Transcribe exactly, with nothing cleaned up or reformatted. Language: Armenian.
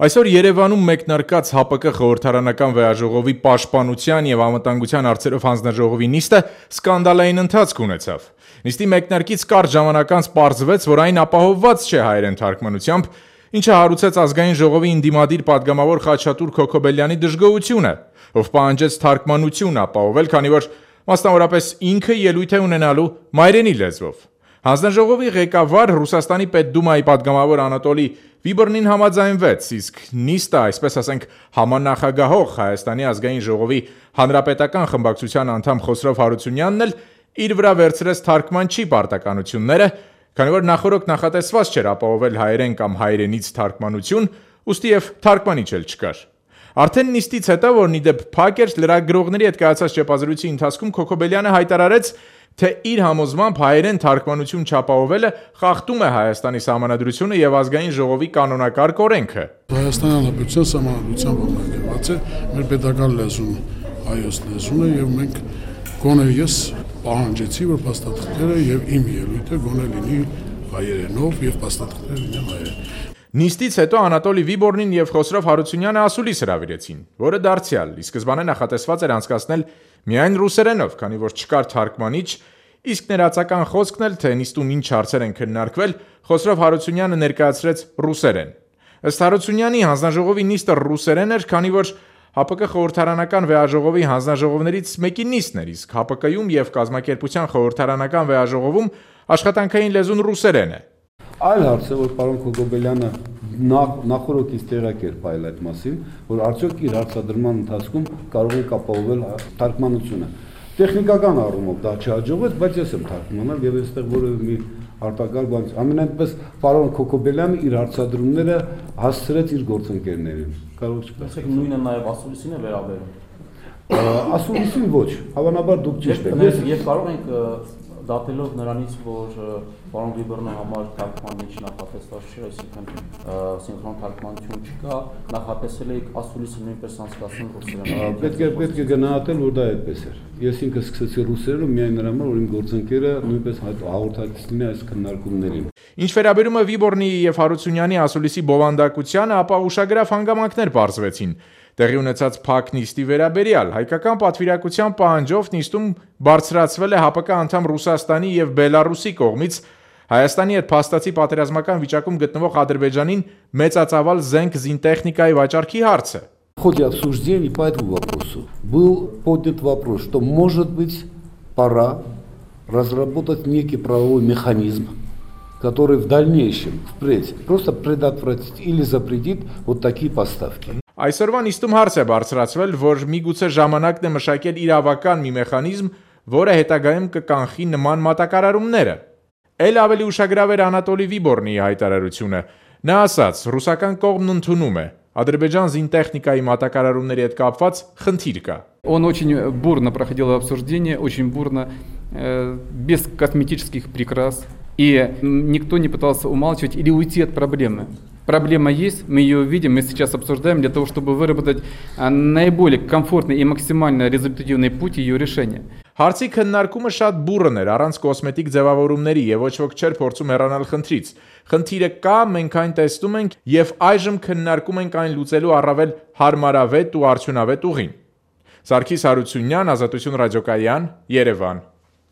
Այսօր Երևանում մեկնարկած ՀԱՊԿ խորհրդարանական վեաժողովի պաշտպանության և անվտանգության հարցերով հանձնաժողովի նիստը սկանդալային ընթացք ունեցավ։ Նիստի մեկնարկից կարճ ժամանակ անց պարզվեց, որ այն ապահովված չէ հայերեն թարգմանությամբ, ինչը հարուցեց ազգային ժողովի ընդդիմադիր պատգամավոր Խաչատուր Քոքոբելյանի դժգոհությունը, ով պահանջեց թարգմանություն ապահովել, քանի որ մասնավորապես ինքը ելույթ է ունենալու մայրենի լեզվով։ Հանձնաժողովի ղեկավար Ռուսաստանի Պետդումայի պատգամավոր Անատոլի Վիբորնին համաձայնվեց, իսկ նիստը, այսպես ասենք, համանախագահող Հայաստանի ազգային ժողովի հանրապետական խմբակցության անդամ Խոսրով Հարությունյանն էլ իր վրա վերցրեց թարգմանչի պարտականությունները, քանի որ նախօրոք նախատեսված չէր ապահովել հայերեն կամ հայերենից թարգմանություն, ուստի և թարգմանիչ էլ չկար։ Արդեն նիստից հետո, որն ի դեպ փակ էր, լրագրողների հետ կայացած ճեպազրույցի ընթացքում Քոքոբելյանը հայտարարեց, թե իր համոզմամբ հայերեն թարգմանություն չապահովելը խախտում է Հայաստանի Սահմանադրությունը և ազգային ժողովի կանոնակարգ օրենքը։ Հայաստանի Հանրապետության Սահմանադրության ոտնահետևած է մեր պետական լեզուն հայոց լեզուն է, և մենք գոնե ես պահանջեցի, որ փաստաթղթերը և իմ ելույթը գոնե լինի հայերենով և փաստաթղթերը լինեն հայերեն։ Նիստից հետո Անատոլի Վիբորնին և Խոսրով Հարությունյանը ասուլիս հրավիրեցին, որը դարձյալ ի սկզբանե նախատեսված էր անցկացնել միայն ռուսերենով, քանի որ չկար թարգմանիչ, իսկ ներածական խոսքն էլ, թե նիստում ինչ հարցեր են քննարկվել, Խոսրով Հարությունյանը ներկայացրեց ռուսերեն։ Ըստ Հարությունյանի, հանձնաժողովի նիստը ռուսերեն էր, քանի որ ՀԱՊԿ խորհրդարանական վեաժողովի հանձնաժողովներից մեկի նիստն էր, իսկ ՀԱՊԿ-ում և կազմակերպության խորհրդարանական վեաժողովում աշխատանքային լեզուն ռուսերեն է։ Այլ հարց է, որ պարոն Քոքոբելյանը նախօրոքից տեղյակ էր ողջել այդ մասին, որ արդյոք իր հարցադրման ընթացքում կարող է ապահովել թարգմանությունը։ Տեխնիկական առումով դա չհաջողվեց, բայց ես եմ թարգմանել եւ այստեղ որևէ մի արտակարգ բան չի։ Ամենայնպես պարոն Քոքոբելյանը իր հարցադրումները հասցրեց իր գործընկերներին։ Կարող չկասեք նույնը նաեւ ասուլիսին է վերաբերում։ Ասուլիսին ոչ, հավանաբար դուք ճիշտ եք։ Ես կարող ենք դատելով նրանից, որ պարոն Վիբորնի համար թարգմանիչ նախատեսված չէ, այսինքն սինխրոն թարգմանություն չկա, նախատեսել եք ասուլիսը նույնպես անցկացնել ռուսերեն։ Պետք է պետք է գնահատել, որ դա այդպես էր։ Ես ինքս սկսեցի ռուսերենով միայն նրա համար, որ իմ գործընկերը նույնպես հաղորդակից լինի այս քննարկումներին։ Ինչ վերաբերում է Վիբորնի և Հարությունյանի ասուլիսի բովանդակությանը, ապա ուշագրավ հանգամանքներ պարզվեցին։ Տեղի ունեցած փակ նիստի վերաբերյալ հայկական պատվիրակության պահանջով նիստում բարձրացվել է ՀԱՊԿ անդամ Ռուսաստանի և Բելառուսի կողմից Հայաստանի հետ փաստացի պատերազմական վիճակում գտնվող Ադրբեջանին մեծածավալ զենք զինտեխնիկայի վաճառքի հարցը։ В ходе обсуждений по этому вопросу был поднят вопрос, что может быть пора разработать некий правовой механизм, который в дальнейшем, впредь, просто предотвратит или запретит вот такие поставки. Այսօրվա նիստում հարց է բարձրացվել, որ միգուցե ժամանակն է մշակել իրավական մի մեխանիզմ, որը հետագայում կկանխի նման մատակարարումները։ Էլ ավելի ուշագրավ էր Անատոլի Վիբորնի հայտարարությունը։ Նա ասաց, ռուսական կողմն ընդունում է, Ադրբեջան զինտեխնիկայի մատակարարումների հետ կապված խնդիր կա։ Он очень бурно проходил обсуждение, очень бурно, э, без косметических прикрас, и никто не пытался умалчивать или уйти от проблемы. Проблема есть, мы ее видим, мы сейчас обсуждаем для того, чтобы выработать наиболее комфортный и максимально результативный путь ее решения. Հարցի քննարկումը շատ բուռն էր, առանց կոսմետիկ ձևավորումների եւ ոչ ոք չէր փորձում հեռանալ խնդրից։ Խնդիրը կա, մենք այն տեսնում ենք եւ այժմ քննարկում ենք այն լուծելու առավել հարմարավետ ու արդյունավետ ուղին։ Սարգիս Հարությունյան, Ազատություն ռադիոկայան, Երևան։